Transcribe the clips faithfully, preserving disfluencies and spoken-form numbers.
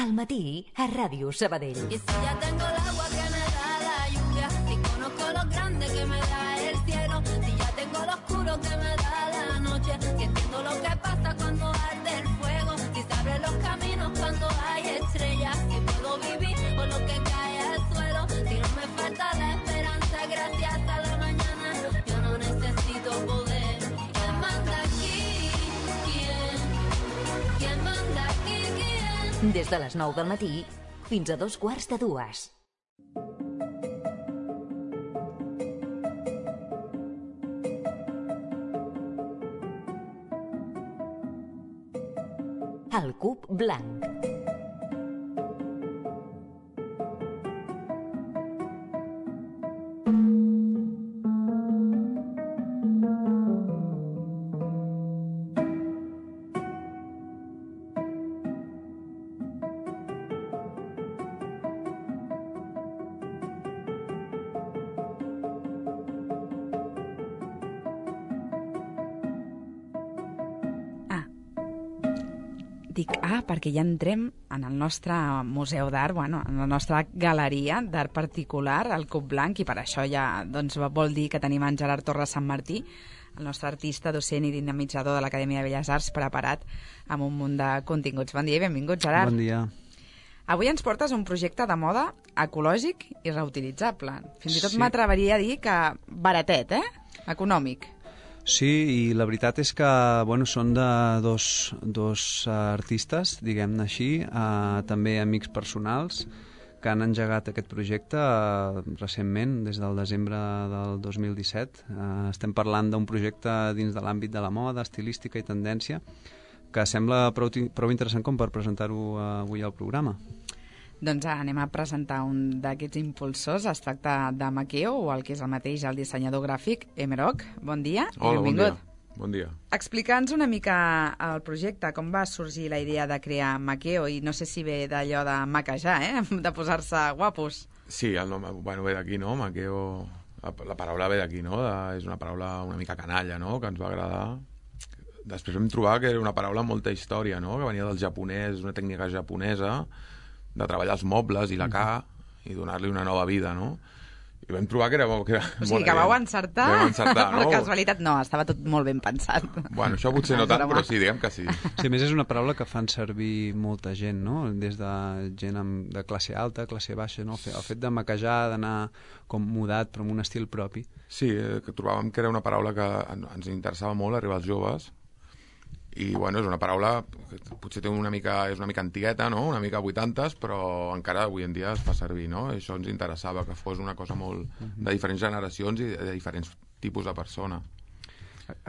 Al matí, a Ràdio Sabadell. Y si ya tengo el agua que me da la lluvia, si conozco lo grande que me da el cielo, si ya tengo lo oscuro que me da la noche, si entiendo lo que pasa cuando arde el fuego, si se abren los caminos cuando hay estrellas, si puedo vivir con lo que cae al suelo, si no me falta la esperanza gracias a la mañana, yo no necesito poder. ¿Quién manda aquí? ¿Quién? ¿Quién manda aquí? ¿Quién? Des de les nou del matí fins a dos quarts de dues. El cub blanc. Dic, ah, perquè ja entrem en el nostre museu d'art, bueno, en la nostra galeria d'art particular, el Cub Blanc, i per això ja doncs, vol dir que tenim en Gerard Torres Sant Martí, el nostre artista, docent i dinamitzador de l'Acadèmia de Belles Arts, preparat amb un munt de continguts. Bon dia i benvingut, Gerard. Bon dia. Avui ens portes un projecte de moda ecològic i reutilitzable. Fins i tot Sí. m'atreviria a dir que baratet, eh? Econòmic. Sí, i la veritat és que bueno, són de dos, dos uh, artistes, diguem-ne així, uh, també amics personals, que han engegat aquest projecte uh, recentment, des del desembre del dos mil disset. Uh, estem parlant d'un projecte dins de l'àmbit de la moda, estilística i tendència, que sembla prou, prou interessant com per presentar-ho uh, avui al programa. Doncs anem a presentar un d'aquests impulsors. Es tracta de Makeo, o el que és el mateix, el dissenyador gràfic, Emerok. Bon dia i Hola, benvingut. bon dia. Bon dia. Explica'ns una mica el projecte, com va sorgir la idea de crear Makeo, i no sé si ve d'allò de maquejar, eh? de posar-se guapos. Sí, el nom bueno, ve d'aquí, no? Maqueo, la, la paraula ve d'aquí, no? De, és una paraula una mica canalla, no? Que ens va agradar. Després vam trobar que era una paraula amb molta història, no? Que venia del japonès, una tècnica japonesa, de treballar els mobles i la ca i donar-li una nova vida, no? I vam trobar que era... Que era o sigui, que vau encertar. Vam encertar, no? Per casualitat, no, estava tot molt ben pensat. Bueno, això potser no tant, però sí, diguem que sí. Sí, a més és una paraula que fan servir molta gent, no? Des de gent amb, de classe alta, classe baixa, no? El fet de maquejar, d'anar com mudat, però amb un estil propi. Sí, que trobàvem que era una paraula que ens interessava molt, arribar als joves, i bueno, és una paraula que potser té una mica, és una mica antigueta, no? Una mica vuitantes, però encara avui en dia es fa servir, no? I això ens interessava, que fos una cosa molt de diferents generacions i de diferents tipus de persona.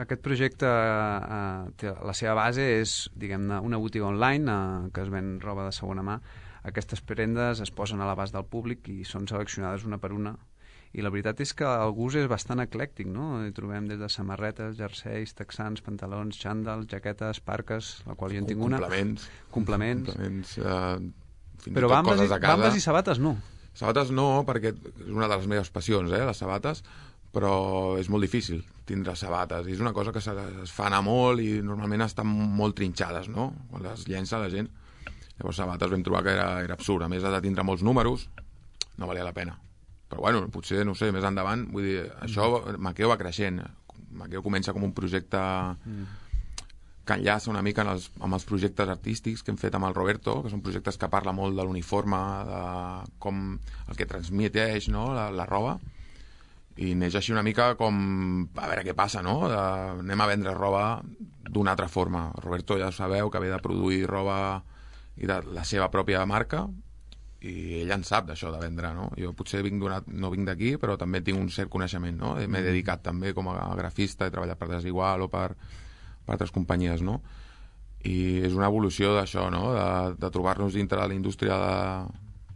Aquest projecte, eh, té, la seva base és, diguem-ne, una botiga online eh, que es ven roba de segona mà. Aquestes prendes es posen a l'abast del públic i són seleccionades una per una. I la veritat és que el gust és bastant eclèctic, no? Hi trobem des de samarretes, jerseis, texans, pantalons, xandals, jaquetes, parques, la qual jo en tinc una. Complements. Complements. Complements, eh, fins Però i tot bambes, coses i, a casa. bambes i sabates no. Sabates no, perquè és una de les meves passions, eh, les sabates, però és molt difícil tindre sabates. I és una cosa que es fa anar molt i normalment estan molt trinxades, no? Quan les llença la gent. Llavors sabates vam trobar que era, era absurd. A més de tindre molts números, no valia la pena. Però bueno, potser, no sé, més endavant, vull dir, això Makeo va creixent. Makeo comença com un projecte que enllaça una mica en els, amb els projectes artístics que hem fet amb el Roberto, que són projectes que parla molt de l'uniforme, de com el que transmeteix, no?, la, la roba, i neix així una mica com a veure què passa, no? De, anem a vendre roba d'una altra forma. El Roberto ja sabeu que ve de produir roba i de la seva pròpia marca, i ell en sap d'això de vendre, no? Jo potser vinc no vinc d'aquí, però també tinc un cert coneixement, no? M'he dedicat també com a grafista, he treballat per Desigual o per, per altres companyies, no? I és una evolució d'això, no? De, de trobar-nos dintre de la indústria de,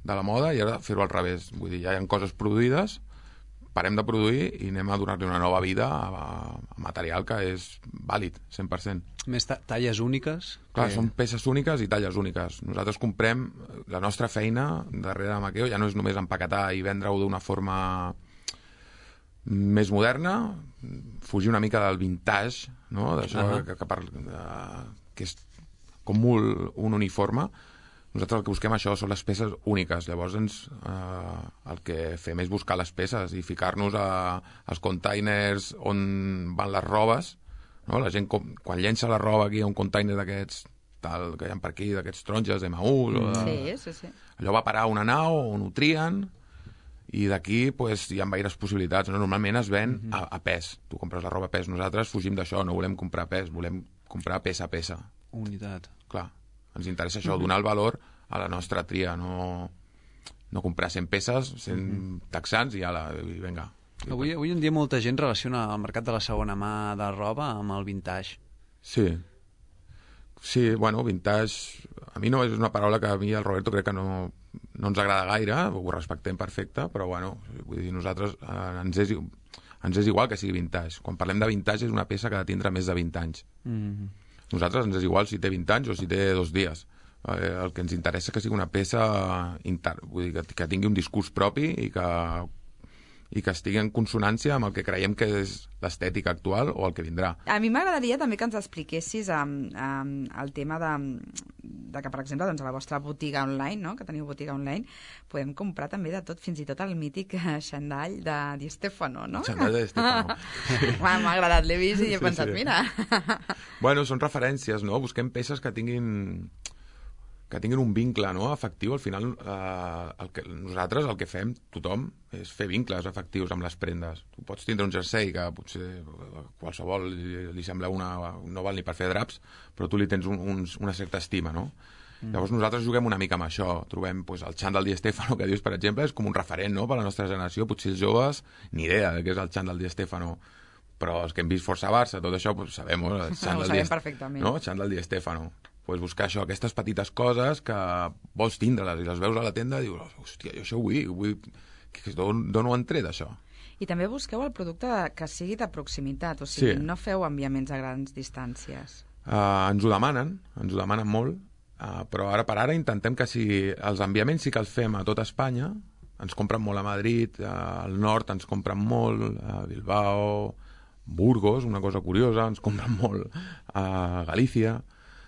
de la moda i ara fer-ho al revés. Vull dir, ja hi ha coses produïdes, parem de produir i anem a donar-li una nova vida a, a material que és vàlid, cent per cent. Més talles úniques. Clar, que... són peces úniques i talles úniques. Nosaltres comprem la nostra feina darrere de Makeo, ja no és només empaquetar i vendre-ho d'una forma més moderna, fugir una mica del vintage, no? D'això uh -huh. que, que, per, uh, que és com molt un uniforme. nosaltres el que busquem això són les peces úniques. Llavors ens, eh, el que fem és buscar les peces i ficar-nos a, als containers on van les robes, no? La gent com, quan llença la roba aquí a un container d'aquests tal, que hi ha per aquí, d'aquests taronges de Emaús, o de... Sí, sí, sí. Allò va parar a una nau on ho trien i d'aquí pues, hi ha gaires possibilitats. No? Normalment es ven uh -huh. a, a pes. Tu compres la roba a pes. Nosaltres fugim d'això, no volem comprar pes, volem comprar peça a peça. Unitat. Clar. Ens interessa això, donar el valor a la nostra tria, no, no comprar cent peces, cent texans i ala, i vinga. Avui, avui en dia molta gent relaciona el mercat de la segona mà de roba amb el vintage. Sí. Sí, bueno, vintage... A mi no és una paraula que a mi el Roberto crec que no, no ens agrada gaire, ho respectem perfecte, però bueno, vull dir, nosaltres eh, ens, és, ens és igual que sigui vintage. Quan parlem de vintage és una peça que ha de tindre més de vint anys. Mm-hmm. Nosaltres ens és igual si té vint anys o si té dos dies. Eh, el que ens interessa és que sigui una peça inter... vull dir, que, que tingui un discurs propi i que, i que estigui en consonància amb el que creiem que és l'estètica actual o el que vindrà. A mi m'agradaria també que ens expliquessis um, um, el tema de, de que, per exemple, doncs, a la vostra botiga online, no? Que teniu botiga online, podem comprar també de tot, fins i tot el mític xandall de Di Stefano, no? El xandall de Di Stefano. M'ha agradat, l'he vist i he sí, pensat, sí. mira... Bueno, són referències, no? Busquem peces que tinguin que tinguin un vincle, no?, afectiu. Al final, eh, el que, nosaltres el que fem, tothom, és fer vincles afectius amb les prendes. Tu pots tindre un jersei que potser qualsevol li, li sembla una... no val ni per fer draps, però tu li tens un, un, una certa estima, no? Mm. Llavors nosaltres juguem una mica amb això. Trobem pues, el xandall Di Stefano, que dius, per exemple, és com un referent, no?, per a la nostra generació. Potser els joves, ni idea de què és el xandall Di Stefano, però els que hem vist Força Barça, tot això, pues, sabem, no? El Ho sabem perfectament. No? El xandall Di Stefano. Pues buscar això, aquestes petites coses que vols tindre-les i les veus a la tenda i dius, hòstia, jo això ho vull, vull... d'on ho han tret, això? I també busqueu el producte que sigui de proximitat, o sigui, sí. no feu enviaments a grans distàncies. Uh, ens ho demanen, ens ho demanen molt, uh, però ara per ara intentem que si els enviaments sí que els fem a tot Espanya, ens compren molt a Madrid, uh, al nord ens compren molt, a Bilbao, Burgos, una cosa curiosa, ens compren molt a Galícia,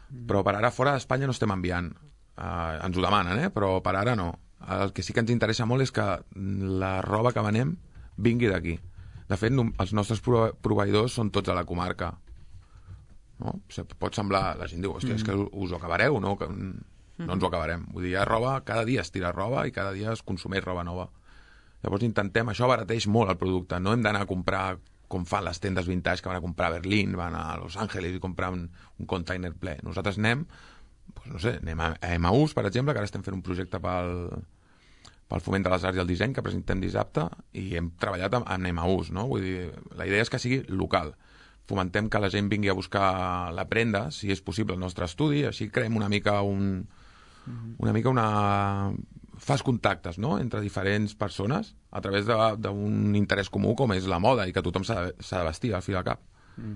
però per ara fora d'Espanya no estem enviant. Uh, ens ho demanen, eh? Però per ara no. El que sí que ens interessa molt és que la roba que venem vingui d'aquí. De fet, no, els nostres proveïdors són tots a la comarca. No? O sigui, pot semblar... La gent diu, hòstia, mm. és que us ho acabareu, no? Que, no ens ho acabarem. Vull dir, hi ha roba, cada dia es tira roba i cada dia es consumeix roba nova. Llavors intentem... Això abarateix molt el producte. No hem d'anar a comprar com fan les tendes vintage que van a comprar a Berlín, van a Los Angeles i comprar un, un container ple. Nosaltres anem, doncs no sé, anem a Emaús, per exemple, que ara estem fent un projecte pel, pel foment de les arts i el disseny que presentem dissabte i hem treballat amb, amb Emaús, no? Vull dir, la idea és que sigui local. Fomentem que la gent vingui a buscar la prenda, si és possible, al nostre estudi, així creem una mica un... una mica una... fas contactes, no?, entre diferents persones a través d'un interès comú com és la moda i que tothom s'ha de, de vestir al fi al cap. Mm.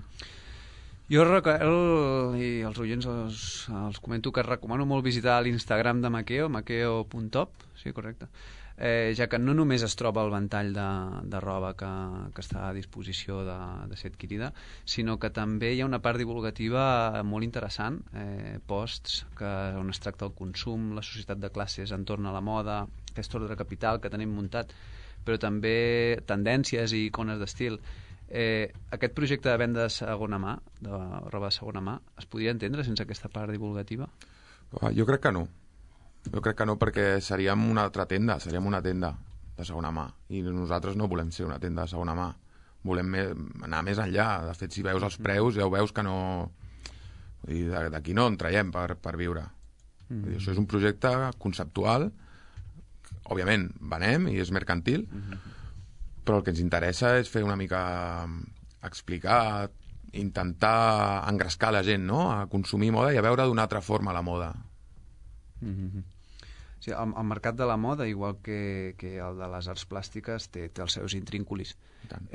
Jo, el, i els oients els, els comento que recomano molt visitar l'Instagram de Makeo, makeo punt top, sí, correcte, eh, ja que no només es troba el ventall de, de roba que, que està a disposició de, de ser adquirida, sinó que també hi ha una part divulgativa molt interessant, eh, posts que, on es tracta el consum, la societat de classes entorn a la moda, aquest ordre capital que tenim muntat, però també tendències i icones d'estil. Eh, aquest projecte de venda de segona mà, de roba de segona mà, es podria entendre sense aquesta part divulgativa? Jo crec que no. Jo crec que no, perquè seríem una altra tenda, seríem una tenda de segona mà. I nosaltres no volem ser una tenda de segona mà. Volem me, anar més enllà. De fet, si veus els preus, ja ho veus que no... D'aquí no en traiem per, per viure. Mm. Dir, això és un projecte conceptual. Òbviament, venem i és mercantil, mm-hmm. però el que ens interessa és fer una mica explicar, intentar engrescar la gent, no?, a consumir moda i a veure d'una altra forma la moda. Mm-hmm. Sí, el, el mercat de la moda, igual que, que el de les arts plàstiques, té, té els seus intrínculis.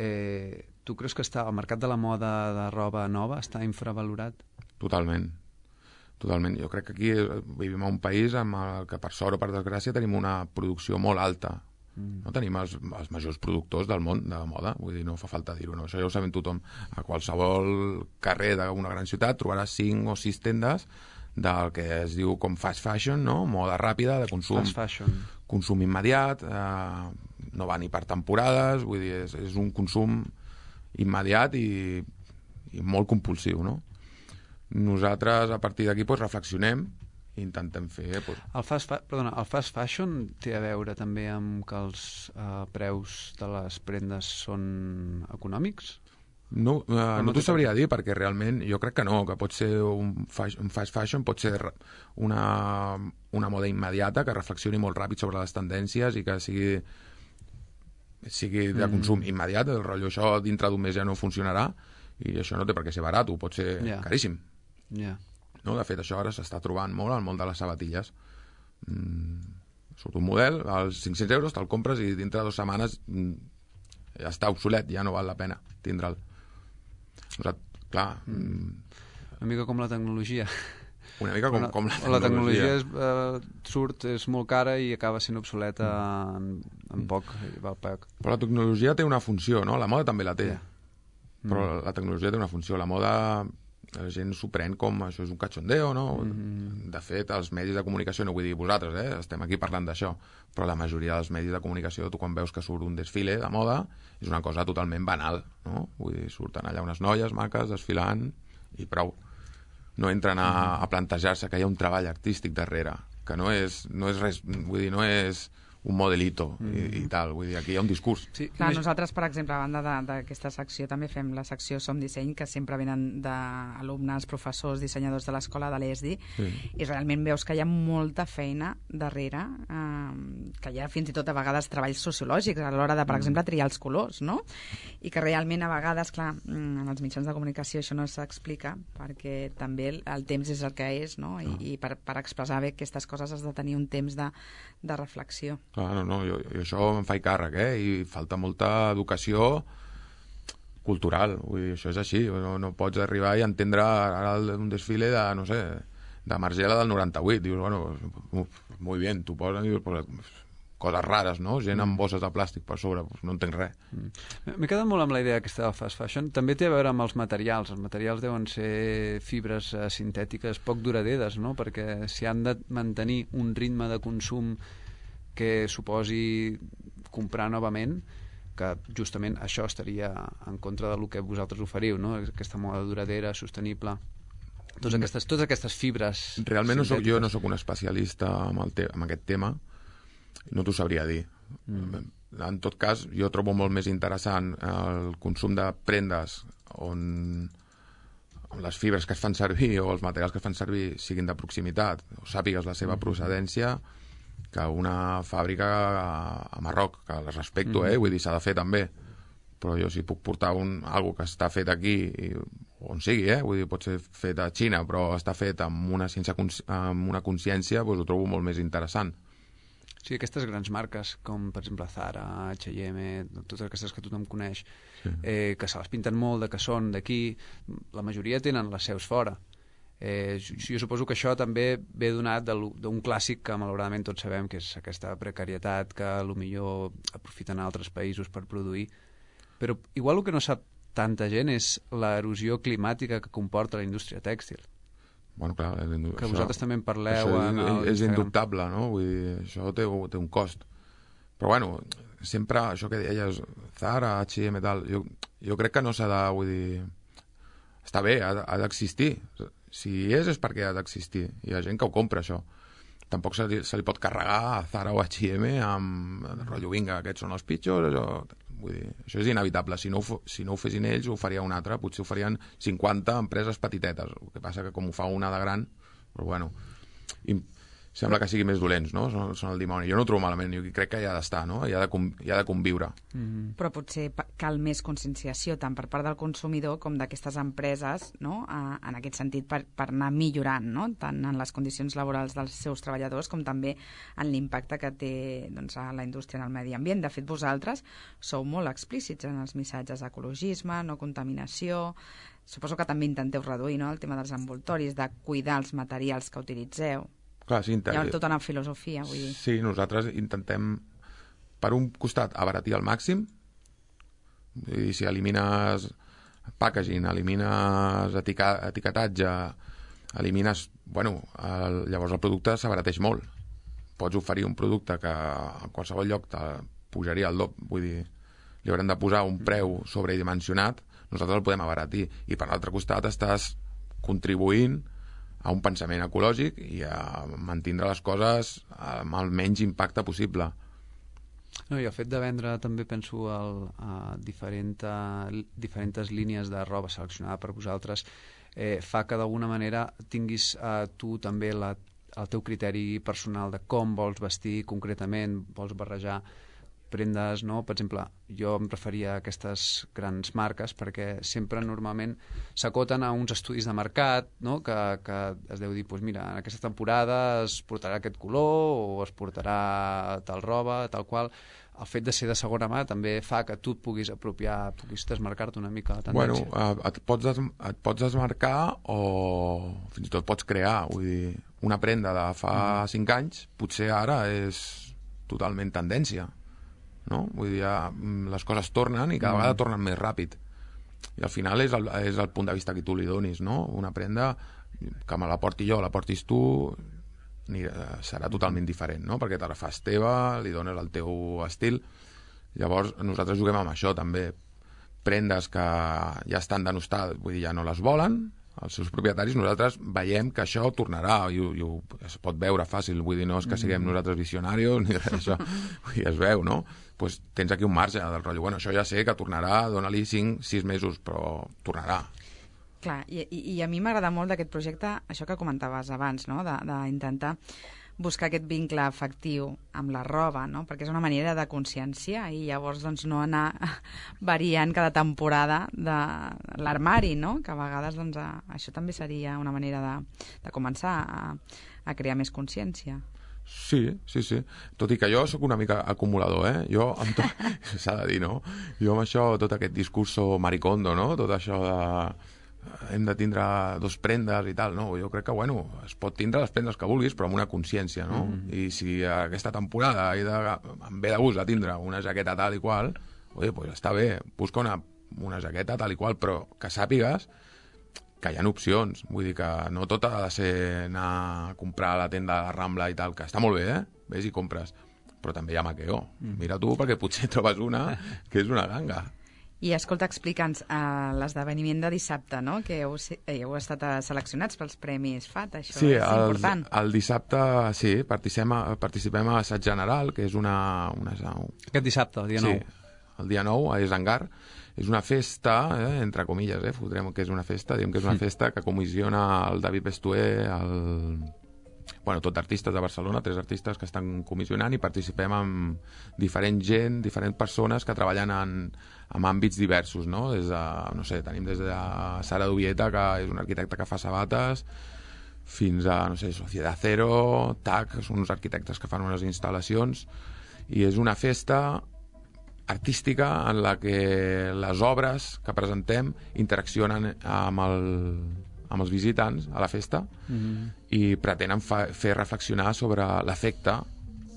Eh, tu creus que està, el mercat de la moda de roba nova està infravalorat? Totalment. Totalment. Jo crec que aquí vivim en un país en el que, per sort o per desgràcia, tenim una producció molt alta. Mm. No tenim els, els majors productors del món de la moda, vull dir, no fa falta dir-ho, no? Això ja ho sabem tothom. A qualsevol carrer d'una gran ciutat trobaràs cinc o sis tendes del que es diu com fast fashion, no? Moda ràpida, de consum, Fast fashion. consum immediat, eh, no va ni per temporades, vull dir, és, és un consum immediat i, i molt compulsiu, no? Nosaltres, a partir d'aquí, pues, reflexionem i intentem fer... Pues... El fast, fa... Perdona, el fast fashion té a veure també amb que els eh, preus de les prendes són econòmics? No, uh, no, no t'ho sabria dir, perquè realment jo crec que no, que pot ser un, fashion, un fast fashion, pot ser una, una moda immediata que reflexioni molt ràpid sobre les tendències i que sigui, sigui de consum mm. immediat, el rotllo això dintre d'un mes ja no funcionarà i això no té per què ser barat, pot ser yeah. caríssim. Yeah. No? De fet, això ara s'està trobant molt al món de les sabatilles. Mm, surt un model, als cinc-cents euros te'l compres i dintre de dues setmanes mm, ja està obsolet, ja no val la pena tindre'l. Clar, una mica com la tecnologia. Una mica com, com la tecnologia. La tecnologia és, eh, surt, és molt cara i acaba sent obsoleta en, en poc, val poc. Però la tecnologia té una funció, no? La moda també la té. Yeah. Però mm. la tecnologia té una funció. La moda, la gent s'ho pren com això és un cachondeo, no? Mm. De fet, els medis de comunicació, no vull dir vosaltres, eh? Estem aquí parlant d'això, però la majoria dels medis de comunicació, tu quan veus que surt un desfile de moda, és una cosa totalment banal, no? Vull dir, surten allà unes noies maques desfilant i prou. No entren a, a plantejar-se que hi ha un treball artístic darrere, que no és, no és res, vull dir, no és un modelito mm. i, i tal, vull dir, aquí hi ha un discurs. Sí, Clar, nosaltres, per exemple, a banda d'aquesta secció, també fem la secció Som Disseny, que sempre venen d'alumnes, professors, dissenyadors de l'escola de l'E S D I, sí. I realment veus que hi ha molta feina darrere, eh, que hi ha fins i tot a vegades treballs sociològics a l'hora de, per mm. exemple, triar els colors, no? I que realment a vegades, clar, en els mitjans de comunicació això no s'explica, perquè també el, el temps és el que és, no? I, no. i per, per expressar bé aquestes coses has de tenir un temps de, de reflexió. Clar, no, no, jo, jo això em faig càrrec, eh? I falta molta educació cultural, vull dir, això és així, no, no pots arribar i entendre ara un desfile de, no sé, de Margiela del noranta-vuit, dius, bueno, uf, molt bé, t'ho posen i dius, pues, coses rares, no? Gent amb bosses de plàstic per sobre, pues, no entenc res. Mm. M'he quedat molt amb la idea aquesta del fast fashion. També té a veure amb els materials. Els materials deuen ser fibres uh, sintètiques poc duraderes, no? Perquè si han de mantenir un ritme de consum que suposi comprar novament, que justament això estaria en contra del que vosaltres oferiu, no? Aquesta moda duradera, sostenible, totes aquestes, totes aquestes fibres realment no soc, jo no sóc un especialista en, el te en aquest tema, no t'ho sabria dir. Mm. En tot cas, jo trobo molt més interessant el consum de prendes on les fibres que es fan servir o els materials que es fan servir siguin de proximitat o sàpigues la seva procedència que una fàbrica a Marroc, que les respecto, eh? Vull dir, s'ha de fer també, però jo si puc portar un, algo que està fet aquí i, on sigui, eh? Vull dir, pot ser fet a Xina però està fet amb una, sense, amb una consciència, doncs ho trobo molt més interessant. Sí, aquestes grans marques, com per exemple Zara, H i M, totes aquestes que tothom coneix, sí. eh, que se les pinten molt, de que són d'aquí, la majoria tenen les seus fora. Eh, jo suposo que això també ve donat d'un clàssic que malauradament tots sabem, que és aquesta precarietat que potser aprofiten altres països per produir, però igual el que no sap tanta gent és l'erosió climàtica que comporta la indústria tèxtil. Bueno, clar, que això, vosaltres també en parleu això en és, és indubtable, no? Vull dir, això té, té un cost, però bueno, sempre això que deies Zara, H i M, tal, jo, jo crec que no s'ha de, vull dir, està bé, ha, ha d'existir. Si és, és perquè ha d'existir. Hi ha gent que ho compra, això. Tampoc se li, se li pot carregar a Zara o H i M amb el rotllo, vinga, aquests són els pitjors, això... Vull dir, això és inevitable. Si no, ho, si no ho fessin ells, ho faria un altre. Potser ho farien cinquanta empreses petitetes. El que passa que com ho fa una de gran, però bueno... I, sembla que sigui més dolents, no? Són, són el dimoni. Jo no ho trobo malament, jo crec que hi ha d'estar, no? Hi ha de, hi ha de conviure. Mm-hmm. Però potser cal més conscienciació tant per part del consumidor com d'aquestes empreses, no? A, en aquest sentit, per, per anar millorant, no? Tant en les condicions laborals dels seus treballadors com també en l'impacte que té, doncs, a la indústria en el medi ambient. De fet, vosaltres sou molt explícits en els missatges d'ecologisme, no contaminació... Suposo que també intenteu reduir, no?, el tema dels envoltoris, de cuidar els materials que utilitzeu. Clar, sí, hi ha tota una filosofia, vull dir. Sí, nosaltres intentem, per un costat, abaratir al màxim. Vull dir, si elimines packaging, elimines etica, etiquetatge, elimines... Bueno, el, llavors el producte s'abarateix molt. Pots oferir un producte que a qualsevol lloc te pujaria al doble, vull dir, li haurem de posar un preu sobredimensionat, nosaltres el podem abaratir. I per l'altre costat estàs contribuint a un pensament ecològic i a mantindre les coses amb el menys impacte possible. No, i el fet de vendre també penso el, a diferent, diferents línies de roba seleccionada per vosaltres eh, fa que d'alguna manera tinguis eh, tu també la el teu criteri personal de com vols vestir concretament, vols barrejar prendes, no? Per exemple, jo em referia a aquestes grans marques perquè sempre normalment s'acoten a uns estudis de mercat, no? que, que es deu dir, doncs mira, en aquesta temporada es portarà aquest color o es portarà tal roba, tal qual. El fet de ser de segona mà també fa que tu et puguis apropiar, puguis desmarcar-te una mica la tendència. Bueno, et pots, des, et pots desmarcar o fins i tot pots crear, vull dir, una prenda de fa mm. cinc anys, potser ara és totalment tendència, no? Vull dir, ja, les coses tornen i cada mm. vegada tornen més ràpid. I al final és el, és el punt de vista que tu li donis, no? Una prenda que me la porti jo, la portis tu, ni, serà totalment diferent, no? Perquè te la fas teva, li dones el teu estil. Llavors nosaltres juguem amb això també. Prendes que ja estan denostats, vull dir, ja no les volen els seus propietaris, nosaltres veiem que això tornarà i, ho, i ho, es pot veure fàcil, vull dir, no és que siguem nosaltres visionarios ni res d'això, vull dir, es veu, no? Pues tens aquí un marge del rotllo, bueno, això ja sé que tornarà, dona-li cinc sis mesos, però tornarà. Clar, i, i, i a mi m'agrada molt d'aquest projecte això que comentaves abans, no? D'intentar buscar aquest vincle afectiu amb la roba, no? Perquè és una manera de consciència i llavors doncs, no anar variant cada temporada de l'armari, no? Que a vegades doncs, a, això també seria una manera de, de començar a, a crear més consciència. Sí, sí, sí. Tot i que jo sóc una mica acumulador, eh? Jo, amb tot... s'ha de dir, no? Jo amb això, tot aquest discurso maricondo, no? Tot això de... hem de tindre dos prendes i tal, no? Jo crec que, bueno, es pot tindre les prendes que vulguis, però amb una consciència, no? Mm. I si aquesta temporada he de, em ve de gust a tindre una jaqueta tal i qual, oi, pues està bé, busca una, una jaqueta tal i qual, però que sàpigues que hi ha opcions, vull dir que no tot ha de ser anar a comprar a la tenda de la Rambla i tal, que està molt bé, eh? Ves i compres, però també hi ha maqueo. Mm. Mira tu, perquè potser trobes una que és una ganga. I escolta, explica'ns uh, l'esdeveniment de dissabte, no? Que heu, heu estat seleccionats pels Premis F A T, això sí, és el, important. Sí, el dissabte, sí, participem a, participem a l'assaig general, que és una, una... Aquest dissabte, el dia nou. Sí, el dia nou, a Esangar. És una festa, eh, entre comilles, eh, fotrem que és una festa, diem que és una mm. festa que comissiona el David Bestué, el... bueno, tot artistes de Barcelona, tres artistes que estan comissionant i participem amb diferent gent, diferents persones que treballen en, en àmbits diversos, no? Des de, no sé, tenim des de Sara Dubieta, que és un arquitecte que fa sabates, fins a, no sé, Sociedad Cero, T A C, que són uns arquitectes que fan unes instal·lacions, i és una festa artística en la que les obres que presentem interaccionen amb el... amb els visitants a la festa mm-hmm. i pretenen fa, fer reflexionar sobre l'efecte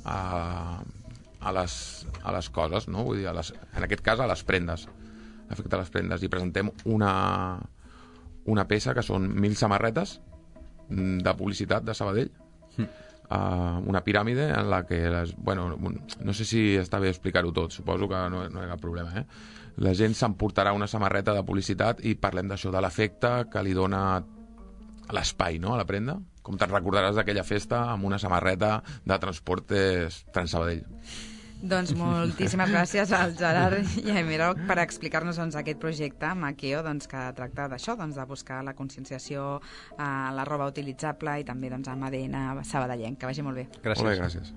a, a, les, a les coses, no? Vull dir, a les, en aquest cas a les prendes, l'efecte a les prendes, i presentem una, una peça que són mil samarretes de publicitat de Sabadell, mm. uh, una piràmide en la que les, bueno, no sé si està bé explicar-ho tot, suposo que no, no hi ha cap problema, eh? La gent s'emportarà una samarreta de publicitat i parlem d'això, de l'efecte que li dona l'espai, no?, a la prenda. Com te'n recordaràs d'aquella festa amb una samarreta de Transportes Transsabadell. Doncs moltíssimes gràcies al Gerard Llaimerok per explicar-nos doncs, aquest projecte Maqueo, doncs, que tracta d'això, doncs, de buscar la conscienciació a la roba utilitzable i també doncs, amb A D N sabadellenc. Que vagi molt bé. Gràcies. Molt bé, gràcies.